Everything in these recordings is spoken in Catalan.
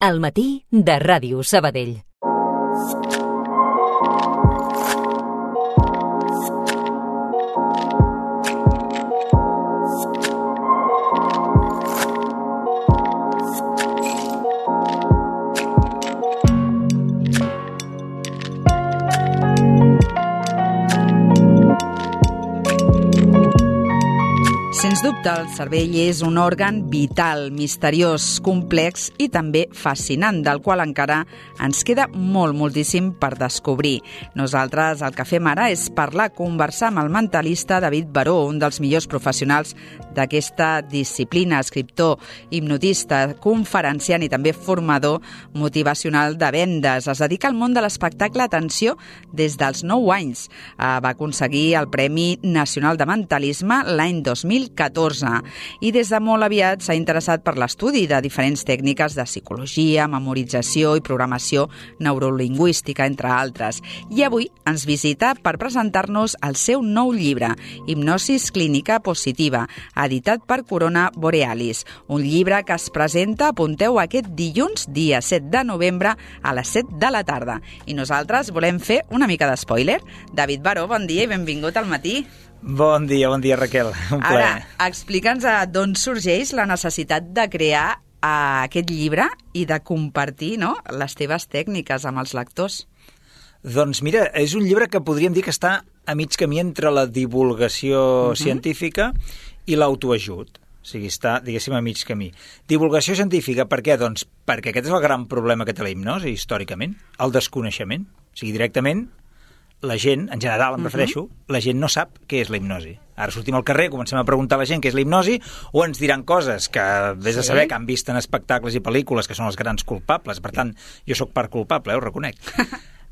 Al matí de Ràdio Sabadell. Sens dubte, el cervell és un òrgan vital, misteriós, complex i també fascinant, del qual encara ens queda moltíssim per descobrir. Nosaltres el que fem ara és conversar amb el mentalista David Baró, un dels millors professionals d'aquesta disciplina, escriptor, hipnotista, conferenciant i també formador motivacional de vendes. Es dedica al món de l'espectacle, atenció, des dels 9 anys. Va aconseguir el Premi Nacional de Mentalisme l'any 2014 i des de molt aviat s'ha interessat per l'estudi de diferents tècniques de psicologia, memorització i programació neurolingüística, entre altres. I avui ens visita per presentar-nos el seu nou llibre, Hipnosis Clínica Positiva, editat per Corona Borealis. Un llibre que es presenta, apunteu, aquest dilluns, dia 7 de novembre, a les 7 de la tarda. I nosaltres volem fer una mica d'espoiler. David Baró, bon dia i benvingut al matí. Bon dia, Raquel. Un plaer. Ara, explica'ns d'on sorgeix la necessitat de crear aquest llibre i de compartir, no?, les teves tècniques amb els lectors. Doncs mira, és un llibre que podríem dir que està a mig camí entre la divulgació científica i l'autoajut. O sigui, està, diguéssim, a mig camí. Divulgació científica, per què? Doncs perquè aquest és el gran problema que té la hipnosi, històricament, el desconeixement. O sigui, directament, la gent, en general em refereixo, la gent no sap què és la hipnosi. Ara sortim al carrer, comencem a preguntar a la gent què és la hipnosi, o ens diran coses que vés a saber que han vist en espectacles i pel·lícules que són els grans culpables. Per tant, jo sóc part culpable, ho reconec.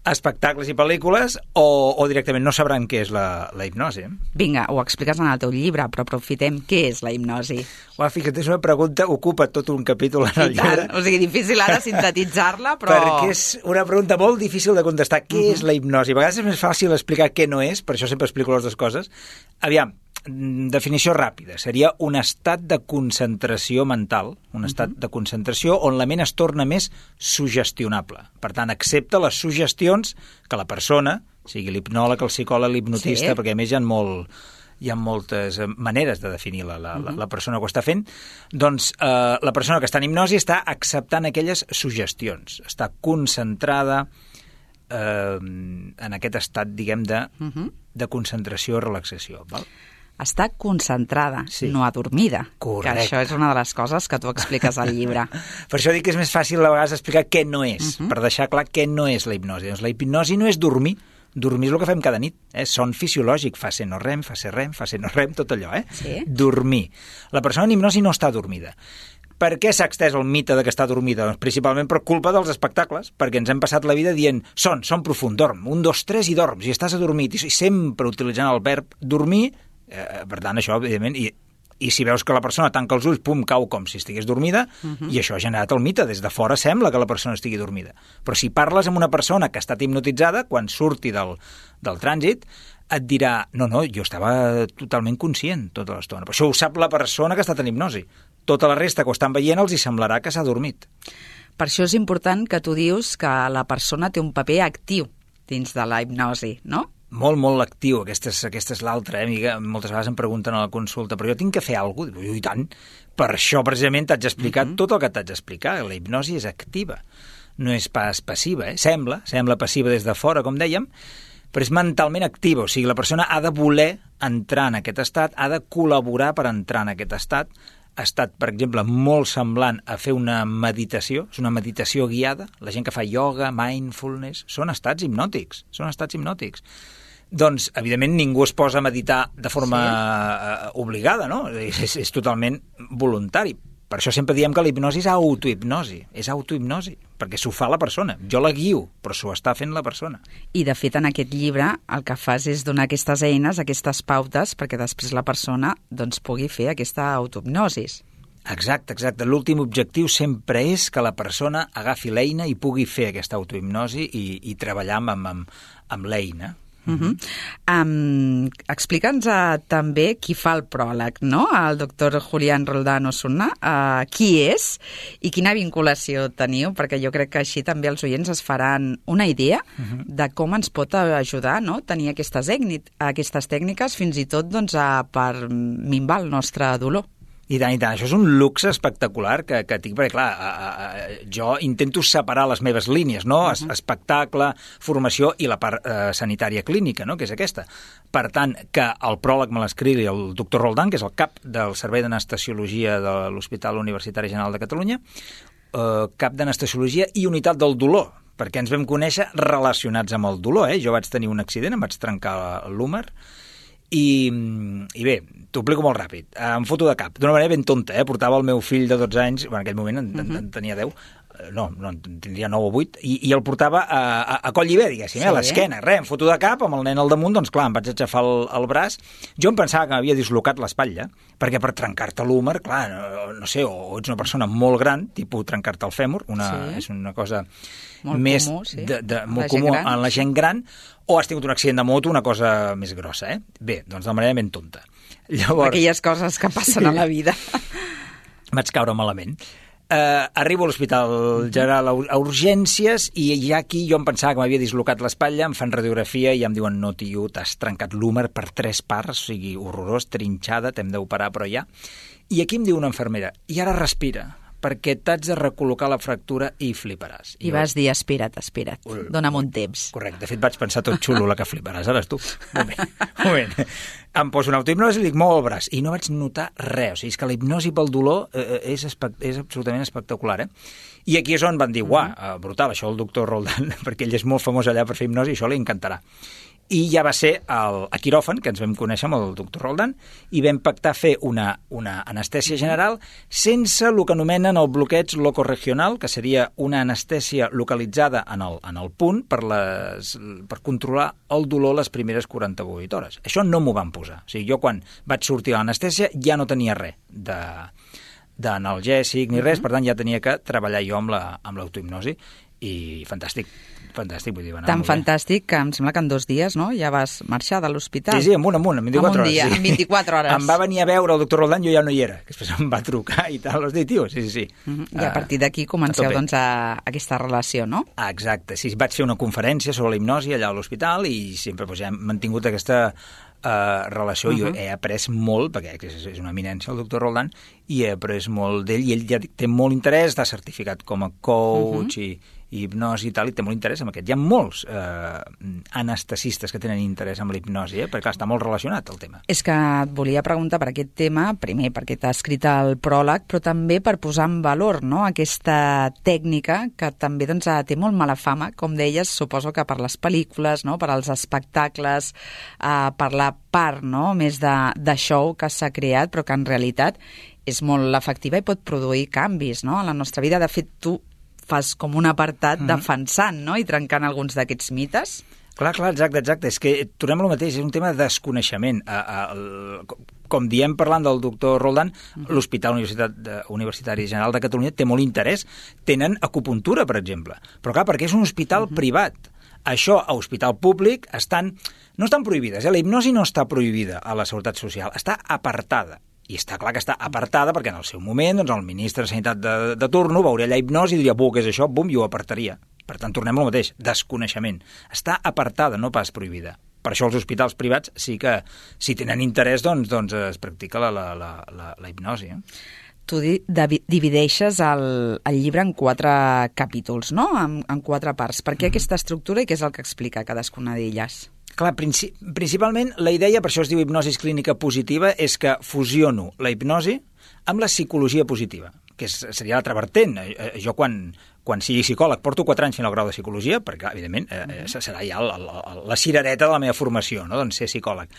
Espectacles i pel·lícules, o directament no sabran què és la hipnosi. Vinga, ho expliques en el teu llibre, però aprofitem què és la hipnosi. Fíjate, és una pregunta, ocupa tot un capítol en el llibre. O sigui, difícil ara sintetitzar-la, però... Perquè és una pregunta molt difícil de contestar. Què és la hipnosi? A vegades és més fàcil explicar què no és, per això sempre explico les dues coses. Aviam, definició ràpida. Seria un estat de concentració mental, un estat de concentració on la ment es torna més sugestionable. Per tant, accepta les suggestions que la persona, sigui l'hipnòleg, el psicòleg, l'hipnotista, perquè a més hi ha moltes maneres de definir la persona que ho està fent, doncs la persona que està en hipnosi està acceptant aquelles suggestions, està concentrada en aquest estat, diguem, de concentració o relaxació, val? Està concentrada, no adormida. Correcte. Que això és una de les coses que tu expliques al llibre. Per això dic que és més fàcil a vegades explicar què no és, per deixar clar què no és la hipnosi. Doncs la hipnosi no és dormir. Dormir és el que fem cada nit. Son fisiològic, fa ser no rem, fa ser rem, fa ser no rem, tot allò. Sí. Dormir. La persona en hipnosi no està dormida. Per què s'ha extès el mite de que està dormida? Doncs principalment per culpa dels espectacles, perquè ens hem passat la vida dient son profund, dorm, 1, 2, 3 i dorms, i estàs adormit, i sempre utilitzant el verb dormir. Per tant, això, evidentment, i si veus que la persona tanca els ulls, pum, cau com si estigués dormida, i això ha generat el mite. Des de fora sembla que la persona estigui dormida. Però si parles amb una persona que ha estat hipnotitzada, quan surti del trànsit, et dirà, no, jo estava totalment conscient tota l'estona. Però això ho sap la persona que ha estat en hipnosi. Tota la resta que ho estan veient els hi semblarà que s'ha dormit. Per això és important que tu dius que la persona té un paper actiu dins de la hipnosi, no? Molt actiu. Aquesta és l'altra, amiga. Moltes vegades em pregunten a la consulta, però jo tinc que fer alguna cosa? Diu, i tant. Per això, precisament, t'haig explicat tot el que t'haig d'explicar. La hipnosi és activa, no és pas passiva. Sembla passiva des de fora, com dèiem, però és mentalment activa. O sigui, la persona ha de voler entrar en aquest estat, ha de col·laborar per entrar en aquest estat. Ha estat, per exemple, molt semblant a fer una meditació, és una meditació guiada. La gent que fa ioga, mindfulness, són estats hipnòtics, Doncs, evidentment, ningú es posa a meditar de forma obligada, no? És totalment voluntari. Per això sempre diem que la hipnosi és autohipnosi, perquè s'ho fa la persona. Jo la guio, però s'ho està fent la persona. I, de fet, en aquest llibre el que fas és donar aquestes eines, aquestes pautes, perquè després la persona doncs, pugui fer aquesta autohipnosi. Exacte. L'últim objectiu sempre és que la persona agafi l'eina i pugui fer aquesta autohipnosi i treballar amb l'eina. Explica'ns també qui fa el pròleg, no? El doctor Julián Roldán Osuna. Qui és i quina vinculació teniu? Perquè jo crec que així també els oients es faran una idea de com ens pot ajudar, no? Tenir aquestes tècniques fins i tot doncs, per minvar el nostre dolor. I tant. Això és un luxe espectacular que tinc, perquè, clar, jo intento separar les meves línies, no? Espectacle, formació i la part sanitària clínica, no? Que és aquesta. Per tant, que el pròleg me l'escrigui el doctor Roldán, que és el cap del Servei d'Anestesiologia de l'Hospital Universitari General de Catalunya, cap d'Anestesiologia i unitat del dolor, perquè ens vam conèixer relacionats amb el dolor. Jo vaig tenir un accident, em vaig trencar l'húmer, i bé, t'ho explico molt ràpid. Em foto de cap, d'una manera ben tonta, portava el meu fill de 12 anys, en aquell moment en tenia 10, no, tindria 9 o 8, i el portava a coll lliber, diguéssim, a l'esquena, em foto de cap, amb el nen al damunt, doncs clar, em vaig aixafar el braç. Jo em pensava que m'havia dislocat l'espatlla, perquè per trencar-te l'húmer, clar, no sé, o ets una persona molt gran, tipus trencar-te el fèmur, és una cosa molt més comú, molt comú en la gent gran, o has tingut un accident de moto, una cosa més grossa, Bé, doncs de manera ben tonta. Llavors, aquelles coses que passen a la vida. Vaig caure malament. Arribo a l'Hospital General a urgències i ja aquí jo em pensava que m'havia dislocat l'espatlla, em fan radiografia i em diuen no, tio, t'has trencat l'húmer per 3 parts, o sigui, horrorós, trinxada, t'hem d'operar, però ja. I aquí em diu una infermera, i ara respira, perquè t'haig de recol·locar la fractura i fliparàs. I vas dir, espera't, dona'm un temps. Correcte, de fet vaig pensar tot xulo la que fliparàs, ara tu. Moment. Em poso una autohipnosi i dic, mou el braç, i no vaig notar res. O sigui, és que la hipnosi pel dolor és absolutament espectacular, I aquí és on van dir, brutal, això el doctor Roldán, perquè ell és molt famós allà per fer hipnosi, això li encantarà. I ja va ser a quiròfan, que ens vam conèixer amb el doctor Roldán, i vam pactar fer una anestèsia general sense el que anomenen el bloqueig locoregional, que seria una anestèsia localitzada en el punt per controlar el dolor les primeres 48 hores. Això no m'ho van posar. O sigui, jo quan vaig sortir de l'anestèsia ja no tenia res d'analgèsic ni res, per tant ja tenia que treballar jo amb l'autohipnosi, i fantàstic, vull dir, tan fantàstic que em sembla que en 2 dies, no?, ja vas marxar de l'hospital. Sí, amunt, en 24 hores. En 24 hores. Em va venir a veure el doctor Roldán, jo ja no hi era, que després em va trucar i tal, tio, sí. I a partir d'aquí comenceu, doncs, aquesta relació, no? Exacte, sí, vaig fer una conferència sobre la hipnosi allà a l'hospital i sempre ja hem mantingut aquesta relació. Jo he après molt, perquè és una eminència el doctor Roldán, i he après molt d'ell, i ell ja té molt interès, està certificat com a coach i hipnosi i tal, i té molt interès en aquest. Hi ha molts anestesistes que tenen interès en la hipnosi, perquè clar, està molt relacionat el tema. És que et volia preguntar per aquest tema, primer perquè t'ha escrit el pròleg, però també per posar en valor, no?, aquesta tècnica que també doncs, té molt mala fama, com deies, suposo que per les pel·lícules, no?, per als espectacles, per la part, no?, més de show que s'ha creat, però que en realitat és molt efectiva i pot produir canvis, no?, en la nostra vida. De fet, tu fas com un apartat defensant, no?, i trencant alguns d'aquests mites. Clar, exacte. És que tornem al mateix, és un tema de desconeixement. Com diem parlant del doctor Roldán, l'Hospital Universitari General de Catalunya té molt interès. Tenen acupuntura, per exemple. Però clar, perquè és un hospital privat. Això, a hospital públic, no estan prohibides. La hipnosi no està prohibida a la Seguretat Social, està apartada. I està clar que està apartada perquè en el seu moment doncs, el ministre de Sanitat de turno veuria allà hipnosi i diria, què és això? Bum, i ho apartaria. Per tant, tornem al mateix, desconeixement. Està apartada, no pas prohibida. Per això els hospitals privats sí que, si tenen interès, doncs es practica la hipnosi. Tu divideixes el llibre en 4 capítols, no?, en 4 parts. Per què aquesta estructura i què és el que explica cadascuna d'elles? Clar, principalment la idea, per això es diu hipnosi clínica positiva, és que fusiono la hipnosi amb la psicologia positiva, que seria l'altra vertent. Jo quan sigui psicòleg porto 4 anys fent el grau de psicologia, perquè evidentment serà ja la cirereta de la meva formació, no?, doncs ser psicòleg.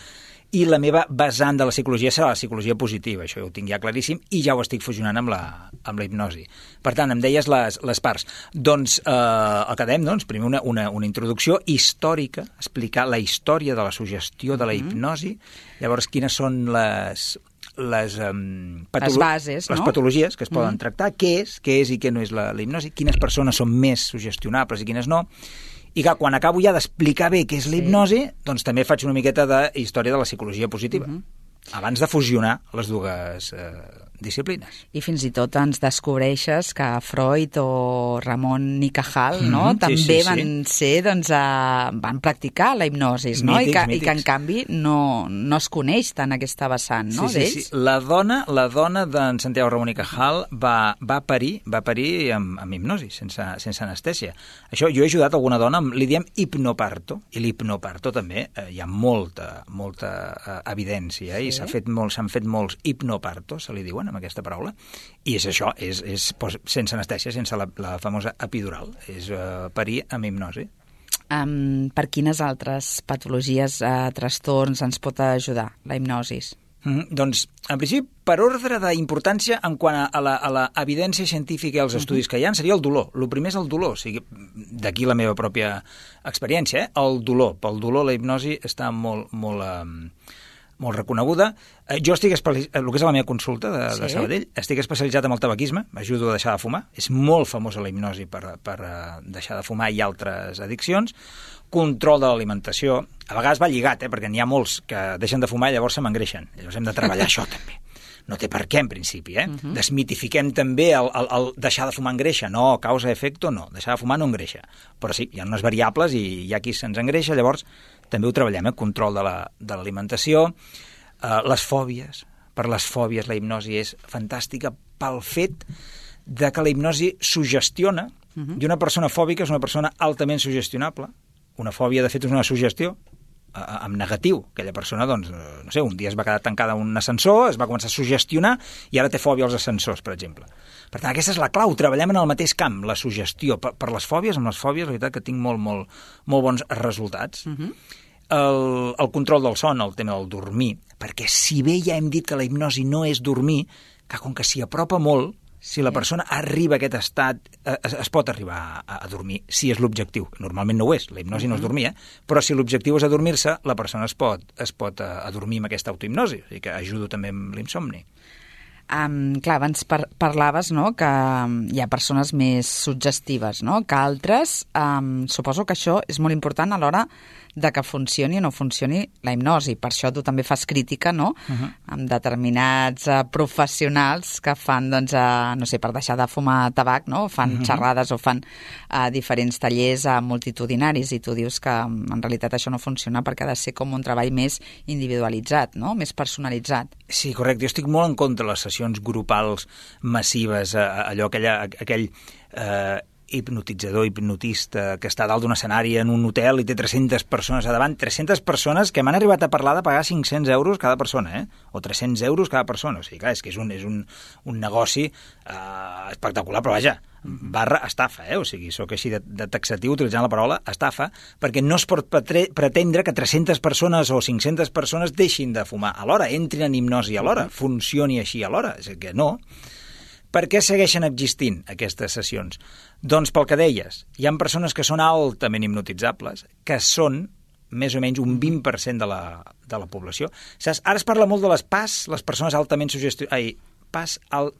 I la meva vessant de la psicologia serà la psicologia positiva, això ho tinc ja claríssim, i ja ho estic fusionant amb la hipnosi. Per tant, em deies les parts. Doncs el que dèiem, primer una introducció històrica, explicar la història de la suggestió de la hipnosi, llavors quines són les bases, les patologies que es poden tractar, què és i què no és la hipnosi, quines persones són més sugestionables i quines no, I clar, quan acabo ja d'explicar bé què és la hipnosi, doncs també faig una miqueta de història de la psicologia positiva, abans de fusionar les dues disciplines. I fins i tot ens descobreixes que Freud o Ramon i Cajal, no? També van ser, doncs, van practicar la hipnosis, no? Mítics, I que en canvi no es coneix tant aquesta vessant, no? Sí. La dona d'en Santiago Ramon i Cajal va parir amb hipnosi, sense anestèsia. Això, jo he ajudat alguna dona, li diem hipnoparto, i l'hipnoparto també hi ha molta evidència, i s'han fet molts hipnopartos, se li diuen, amb aquesta paraula, i és això, és sense anestèsia, sense la famosa epidural, és parir amb hipnosi. Per quines altres patologies, trastorns ens pot ajudar la hipnosis? Doncs, en principi, per ordre d'importància en quant a la evidència científica i els estudis que hi ha, seria el dolor. El primer és el dolor, o sigui, d'aquí la meva pròpia experiència, el dolor. Pel dolor la hipnosi està molt reconeguda. Jo estic especialitzat, el que és la meva consulta de Sabadell, estic especialitzat en el tabaquisme, m'ajudo a deixar de fumar, és molt famosa la hipnosi per deixar de fumar i altres addiccions, control de l'alimentació, a vegades va lligat, perquè n'hi ha molts que deixen de fumar i llavors se m'engreixen, llavors hem de treballar això també. No té per què, en principi, Desmitifiquem també el deixar de fumar engreixa. No, causa-efecte, no. Deixar de fumar no engreixa. Però sí, hi ha unes variables i hi ha qui se'ns engreixa, llavors també ho treballem, control de l'alimentació, les fòbies. Per les fòbies la hipnosi és fantàstica pel fet de que la hipnosi suggestiona, i una persona fòbica és una persona altament suggestionable. Una fòbia, de fet, és una suggestió en negatiu. Aquella persona, doncs, no sé, un dia es va quedar tancada en un ascensor, es va començar a suggestionar i ara té fòbia als ascensors, per exemple. Per tant, aquesta és la clau. Treballem en el mateix camp, la suggestió. Per les fòbies, amb les fòbies, la veritat que tinc molt bons resultats. El control del son, el tema del dormir, perquè si bé ja hem dit que la hipnosi no és dormir, que com que s'hi apropa molt, si la persona arriba a aquest estat, es pot arribar a dormir, si és l'objectiu. Normalment no ho és, la hipnosi no és dormir, però si l'objectiu és adormir-se, la persona es pot adormir amb aquesta autohipnosi, o sigui que ajudo també amb l'insomni. Clar, abans parlaves, no?, que hi ha persones més suggestives, no?, que altres. Suposo que això és molt important a l'hora de que funcioni o no funcioni la hipnosi. Per això tu també fas crítica, no?, amb determinats professionals que fan, doncs, no sé, per deixar de fumar tabac, no?, fan xerrades o fan diferents tallers multitudinaris, i tu dius que en realitat això no funciona perquè ha de ser com un treball més individualitzat, no?, més personalitzat. Sí, correcte. Jo estic molt en contra de les sessions grupals massives, aquell hipnotitzador, hipnotista, que està dalt d'un escenari en un hotel i té 300 persones a davant, 300 persones que m'han arribat a parlar de pagar 500 euros cada persona, o 300 euros cada persona. O sigui, clar, és que és un negoci espectacular, però vaja, /estafa, o sigui, sóc així de taxatiu utilitzant la paraula estafa, perquè no es pot pretendre que 300 persones o 500 persones deixin de fumar alhora, entrin en hipnosi alhora, funcioni així alhora, és que no. Per què segueixen existint aquestes sessions? Doncs pel que deies, hi ha persones que són altament hipnotitzables, que són més o menys un 20% de la població. Saps? Ara es parla molt de les PAS, les persones altament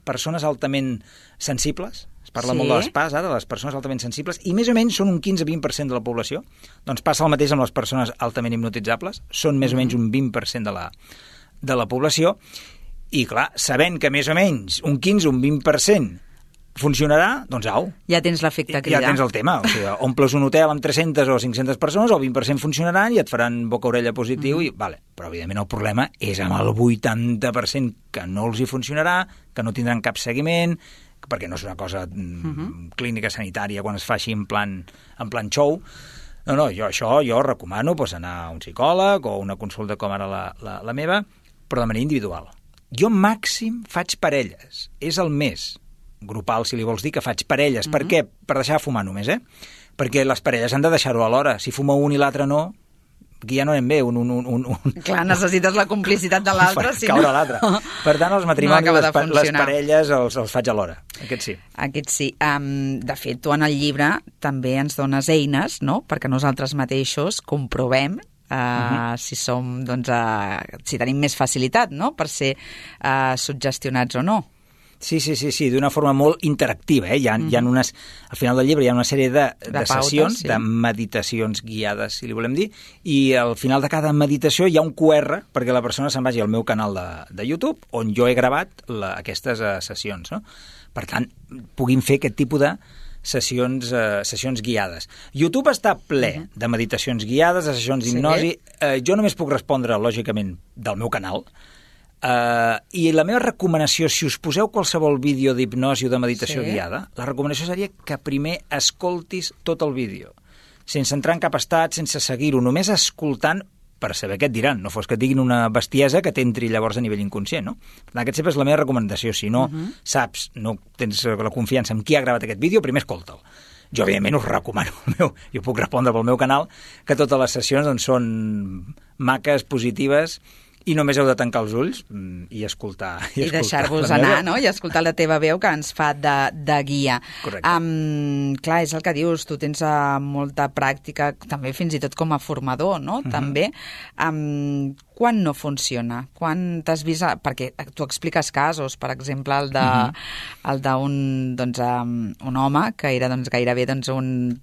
persones altament sensibles. Es parla molt de les PAS, ara, de les persones altament sensibles, i més o menys són un 15-20% de la població. Doncs passa el mateix amb les persones altament hipnotitzables, són més o menys un 20% de la població. I, clar, sabent que més o menys un 15 o un 20% funcionarà, doncs au. Ja tens l'efecte cridar. Ja tens el tema. O sigui, omples un hotel amb 300 o 500 persones, el 20% funcionaran i et faran boca-orella positiu. Vale. Però, evidentment, el problema és amb el 80% que no els hi funcionarà, que no tindran cap seguiment, perquè no és una cosa clínica sanitària quan es fa així en plan show. No, jo recomano anar a un psicòleg o una consulta com ara la meva, però de manera individual. Jo màxim faig parelles. És el mes grupal, si li vols dir, que faig parelles. Per què? Per deixar de fumar només, Perquè les parelles han de deixar-ho alhora. Si fuma un i l'altre no, aquí ja no anem bé. Clar, necessites la complicitat de l'altre. Si caure l'altre. Per tant, els matrimonis, les parelles els faig alhora. Aquest sí. De fet, tu en el llibre també ens dones eines, no?, perquè nosaltres mateixos comprovem si som, doncs, si tenim més facilitat, no?, per ser suggestionats o no. Sí, d'una forma molt interactiva. Hi ha unes, al final del llibre hi ha una sèrie de sessions, de meditacions guiades, si li volem dir, i al final de cada meditació hi ha un QR perquè la persona se'n vagi al meu canal de YouTube, on jo he gravat aquestes sessions, no? Per tant, puguin fer aquest tipus de sessions guiades. YouTube està ple de meditacions guiades, de sessions d'hipnosi. Jo només puc respondre, lògicament, del meu canal. I la meva recomanació, si us poseu qualsevol vídeo d'hipnosi o de meditació guiada, la recomanació seria que primer escoltis tot el vídeo, sense entrar en cap estat, sense seguir-ho, només escoltant per saber què et diran, no fos que et diguin una bestiesa que t'entri llavors a nivell inconscient, no? Per tant, aquesta sempre és la meva recomanació. Si no saps, no tens la confiança en qui ha gravat aquest vídeo, primer escolta'l. Jo, evidentment, us recomano jo puc respondre pel meu canal, que totes les sessions doncs, són maques, positives, i només heu de tancar els ulls i escoltar. I deixar-vos anar, no? I escoltar la teva veu que ens fa de guia. Correcte. Clar, és el que dius, tu tens molta pràctica, també fins i tot com a formador, no? També. Quan no funciona? Quan t'has vist... Perquè tu expliques casos, per exemple, el d'un un home que era gairebé un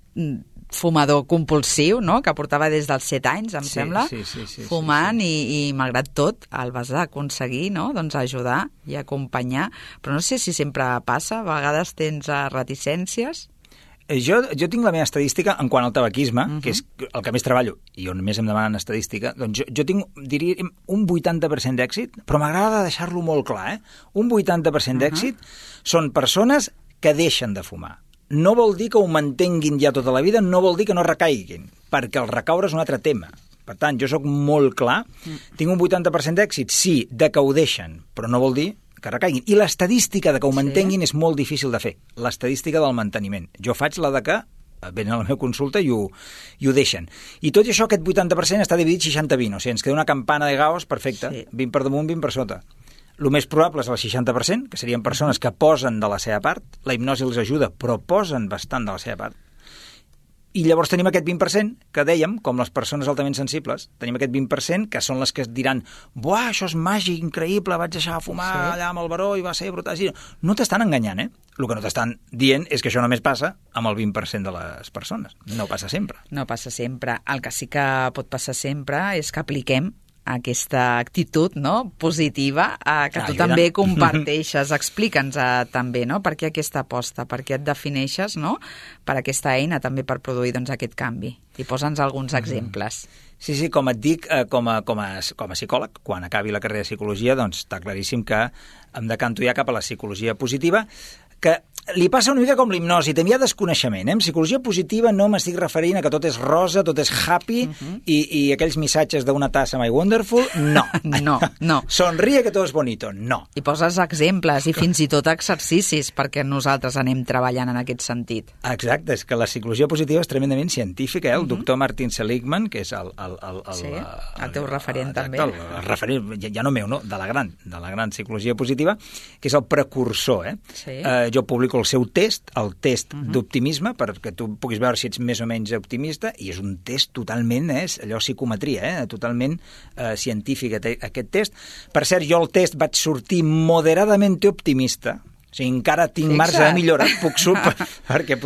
fumador compulsiu, no? Que portava des dels 7 anys, em sembla, fumant i malgrat tot el vas aconseguir, no? Doncs ajudar i acompanyar. Però no sé si sempre passa, a vegades tens reticències. Jo tinc la meva estadística en quant al tabaquisme, que és el que més treballo i on més em demanen estadística, doncs jo tinc, diria, un 80% d'èxit, però m'agrada deixar-lo molt clar, Un 80% d'èxit són persones que deixen de fumar. No vol dir que ho mantenguin ja tota la vida, no vol dir que no recaiguin, perquè el recaure és un altre tema. Per tant, jo sóc molt clar, tinc un 80% d'èxit, sí, de que ho deixen, però no vol dir que recaiguin. I l'estadística de que ho mantenguin és molt difícil de fer, l'estadística del manteniment. Jo faig la de que venen a la meva consulta i ho deixen. I tot i això, aquest 80% està dividit 60-20, o sigui, ens queda una campana de Gauss perfecta, 20 per damunt, 20 per sota. El més probable és el 60%, que serien persones que posen de la seva part, la hipnosi els ajuda, però posen bastant de la seva part. I llavors tenim aquest 20%, que dèiem, com les persones altament sensibles, tenim aquest 20% que són les que diran «Buah, això és màgic, increïble, vaig deixar de fumar allà amb el baró i va ser brutal». No t'estan enganyant, El que no t'estan dient és que això només passa amb el 20% de les persones. No passa sempre. No passa sempre. El que sí que pot passar sempre és que apliquem aquesta actitud, no?, positiva que tu també comparteixes. Explica'ns també, no?, per què aquesta aposta, per què et defineixes, no?, per aquesta eina també per produir aquest canvi. I posa'ns alguns exemples. Sí, com et dic, com a psicòleg, quan acabi la carrera de psicologia, doncs està claríssim que em decanto ja cap a la psicologia positiva, que li passa una mica com l'hipnosi, també hi ha desconeixement. En psicologia positiva no m'estic referint a que tot és rosa, tot és happy i aquells missatges d'una tassa My Wonderful, no. No. Sonríe que tot és bonito, no. I poses exemples i fins i tot exercicis perquè nosaltres anem treballant en aquest sentit. Exacte, és que la psicologia positiva és tremendament científica, El doctor Martin Seligman, que és el teu referent també. El referent, ja no meu, no, de la gran psicologia positiva, que és el precursor, Jo publico el seu test, el test d'optimisme, perquè tu puguis veure si ets més o menys optimista, i és un test totalment, allò psicometria, totalment científic, aquest test. Per cert, jo el test vaig sortir moderadament optimista, o sigui, encara tinc marge de millora, puc perquè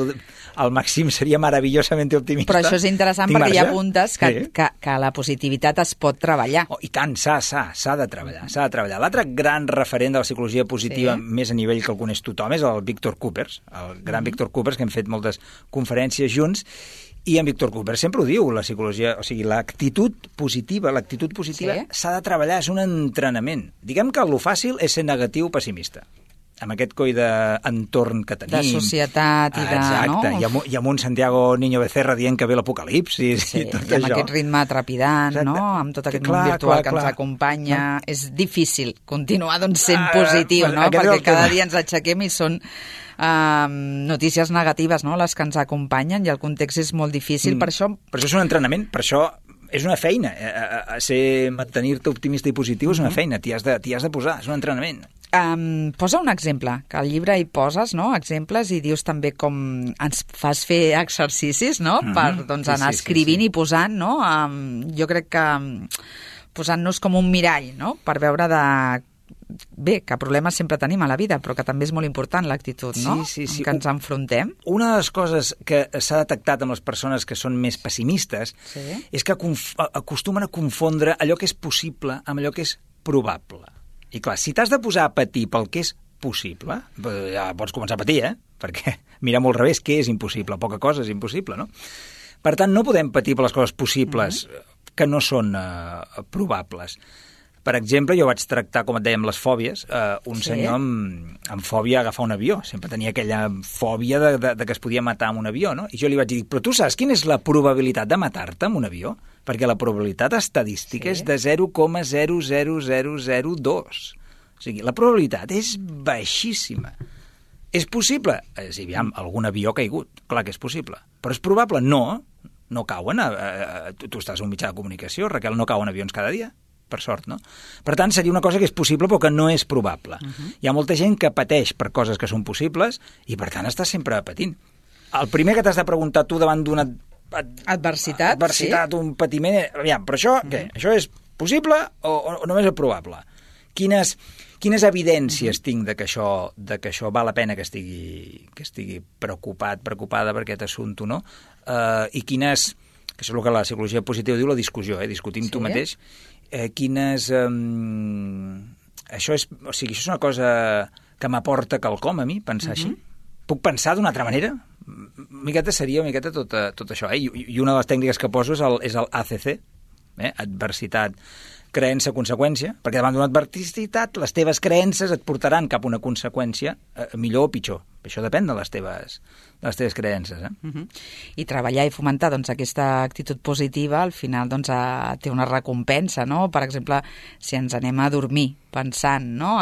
el màxim seria meravellosament optimista. Però això és interessant perquè hi ha apuntes que la positivitat es pot treballar. I tant, s'ha de treballar. L'altre gran referent de la psicologia positiva, més a nivell que el coneix tothom, és el Víctor Coopers, el gran Víctor Coopers, que hem fet moltes conferències junts, i en Víctor Coopers sempre ho diu, la psicologia, o sigui, l'actitud positiva s'ha de treballar, és un entrenament. Diguem que el fàcil és ser negatiu o pessimista, amb aquest coi d'entorn que tenim. De societat i de... Exacte, no? I amb un Santiago Niño Becerra dient que ve l'apocalipsis i tot això. I amb aquest ritme trepidant, no? Amb tot aquest món virtual que ens acompanya. No? És difícil continuar sent positiu, no? Perquè cada dia ens aixequem i són notícies negatives, no?, les que ens acompanyen, i el context és molt difícil. Per això és un entrenament, per això és una feina. Mantenir-te optimista i positiu és una feina, t'hi has de posar, és un entrenament. Posa un exemple, que al llibre hi poses, no?, exemples, i dius també com ens fas fer exercicis, no?, per anar escrivint i posant, no?, jo crec que posant-nos com un mirall, no?, per veure bé, que problemes sempre tenim a la vida, però que també és molt important l'actitud, no? Sí. En què ens enfrontem. Una de les coses que s'ha detectat amb les persones que són més pessimistes és que acostumen a confondre allò que és possible amb allò que és probable. I clar, si t'has de posar a patir pel que és possible, ja pots començar a patir, perquè mira molt al revés, què és impossible? Poca cosa és impossible, no? Per tant, no podem patir per les coses possibles que no són probables. Per exemple, jo vaig tractar, com et dèiem, les fòbies, un senyor amb fòbia a agafar un avió. Sempre tenia aquella fòbia de que es podia matar amb un avió, no? I jo li vaig dir, però tu saps quina és la probabilitat de matar-te amb un avió? Perquè la probabilitat estadística és de 0,00002. O sigui, la probabilitat és baixíssima. És possible? Sí, aviam, algun avió ha caigut. Clar que és possible. Però és probable? No. No cauen. Tu estàs en un mitjà de comunicació, Raquel, no cauen avions cada dia. Per sort, no? Per tant, seria una cosa que és possible però que no és probable. Hi ha molta gent que pateix per coses que són possibles i, per tant, està sempre patint. El primer que t'has de preguntar tu davant d'una adversitat, un patiment... Aviam, però això, què? Això és possible o només és probable? Quines evidències tinc de que això val la pena que estigui preocupada per aquest assumpte, no? I quines... que això és el que la psicologia positiva diu, la discussió, discutir amb tu mateix. Això és una cosa que m'aporta quelcom a mi, pensar així? Puc pensar d'una altra manera? Una miqueta tot això. I una de les tècniques que poso és el ACC, adversitat, creença, conseqüència, perquè davant d'una adversitat les teves creences et portaran cap a una conseqüència millor o pitjor. Això depèn de les teves creences. I treballar i fomentar aquesta actitud positiva al final té una recompensa, no? Per exemple, si ens anem a dormir pensant, no?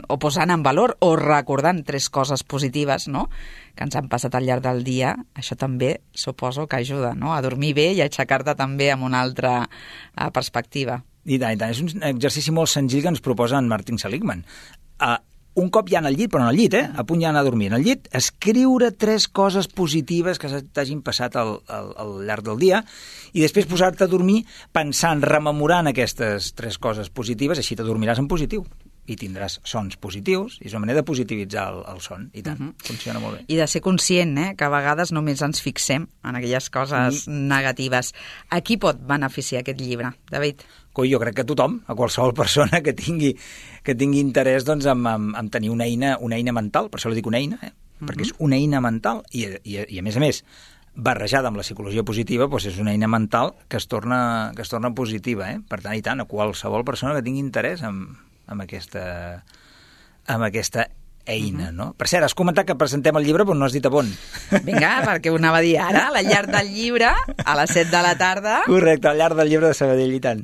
O posant en valor o recordant 3 coses positives, no? Que ens han passat al llarg del dia, això també suposo que ajuda, no? A dormir bé i a aixecar-te també amb una altra perspectiva. I tant. És un exercici molt senzill que ens proposa en Martin Seligman. Un cop ja al llit, però no al llit, a punt ja anar a dormir. En el llit, escriure 3 coses positives que t'hagin passat al llarg del dia i després posar-te a dormir pensant, rememorant aquestes 3 coses positives, així t'adormiràs en positiu i tindràs sons positius, i és una manera de positivitzar el son, i tant, funciona molt bé. I de ser conscient, que a vegades només ens fixem en aquelles coses negatives. A qui pot beneficiar aquest llibre, David? Jo crec que a tothom, a qualsevol persona que tingui interès en tenir una eina mental, per això li dic una eina, perquè és una eina mental, i a més, barrejada amb la psicologia positiva, és una eina mental que es torna positiva. Per tant, i tant, a qualsevol persona que tingui interès en aquesta eina, no? Per cert, has comentat que presentem el llibre, però no has dit a on. Vinga, perquè ho anava a dir ara, a la llar del llibre, a les 7 de la tarda. Correcte, a la llar del llibre de Sabadell, i tant.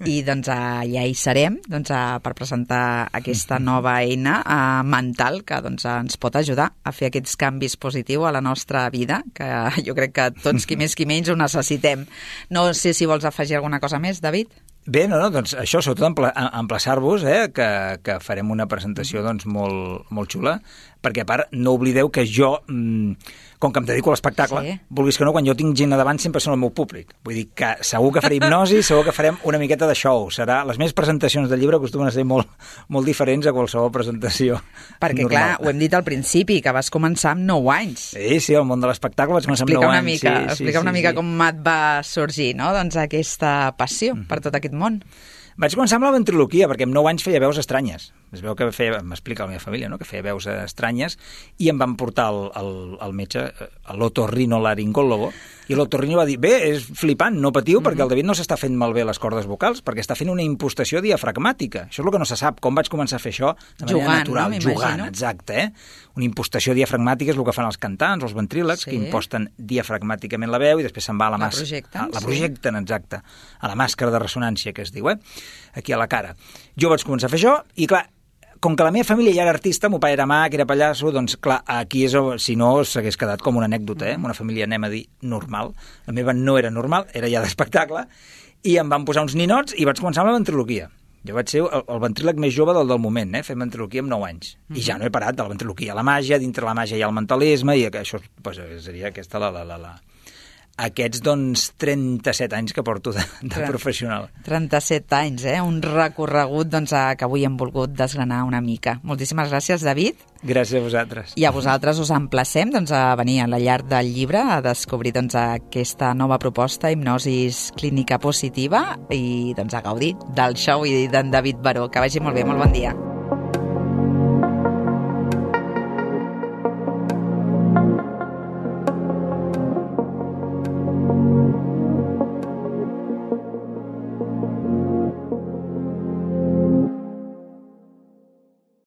I ja hi serem per presentar aquesta nova eina mental que ens pot ajudar a fer aquests canvis positius a la nostra vida, que jo crec que tots, qui més qui menys, ho necessitem. No sé si vols afegir alguna cosa més, David? Bé, doncs això, sobretot emplaçar-vos, que farem una presentació molt xula, perquè a part no oblideu que jo, com que em dedico a l'espectacle, vulguis que no, quan jo tinc gent a davant sempre són el meu públic. Vull dir que segur que faré hipnosi, segur que farem una miqueta de show. Les meves presentacions del llibre acostumen a ser molt diferents a qualsevol presentació perquè, normal. clar, ho hem dit al principi, que vas començar amb 9 anys. Sí, el món de l'espectacle vaig començar amb 9 anys. Explica una mica com et va sorgir, no? Aquesta passió per tot aquest món. Vaig començar amb la ventriloquia, perquè amb 9 anys feia veus estranyes. Es veu que m'explica la meva família, no?, que feia veus estranyes, i em van portar al metge, a l'otorrinolaringòlogo, i l'otorrino va dir, bé, és flipant, no patiu, perquè el David no s'està fent malbé les cordes vocals, perquè està fent una impostació diafragmàtica. Això és el que no se sap. Com vaig començar a fer això? De manera natural, jugant, exacte. Una impostació diafragmàtica és el que fan els cantants, els ventrílegs, que imposten diafragmàticament la veu i després se'n va a la màscara. La projecten, exacte. A la màscara de ressonància, que es diu, aquí a la cara. Jo vaig començar a fer això i, clar, com que la meva família ja era artista, meu pare era mag, era pallasso, doncs, clar, aquí és, si no, s'hagués quedat com una anècdota, una família, anem a dir, normal. La meva no era normal, era ja d'espectacle, i em van posar uns ninots i vaig començar amb la ventriloquia. Jo vaig ser el ventríleg més jove del moment, fent ventriloquia amb 9 anys. I ja no he parat de la ventriloquia a la màgia, dintre la màgia hi ha el mentalisme, i això seria aquesta aquests, doncs, 37 anys que porto de professional. 37 anys, un recorregut doncs, que avui hem volgut desgranar una mica. Moltíssimes gràcies, David. Gràcies a vosaltres. I a vosaltres us emplacem doncs, a venir a la llar del llibre a descobrir doncs, aquesta nova proposta, hipnosis clínica positiva, i doncs, a gaudir del show i d'en David Baró. Que vagi molt bé, molt bon dia.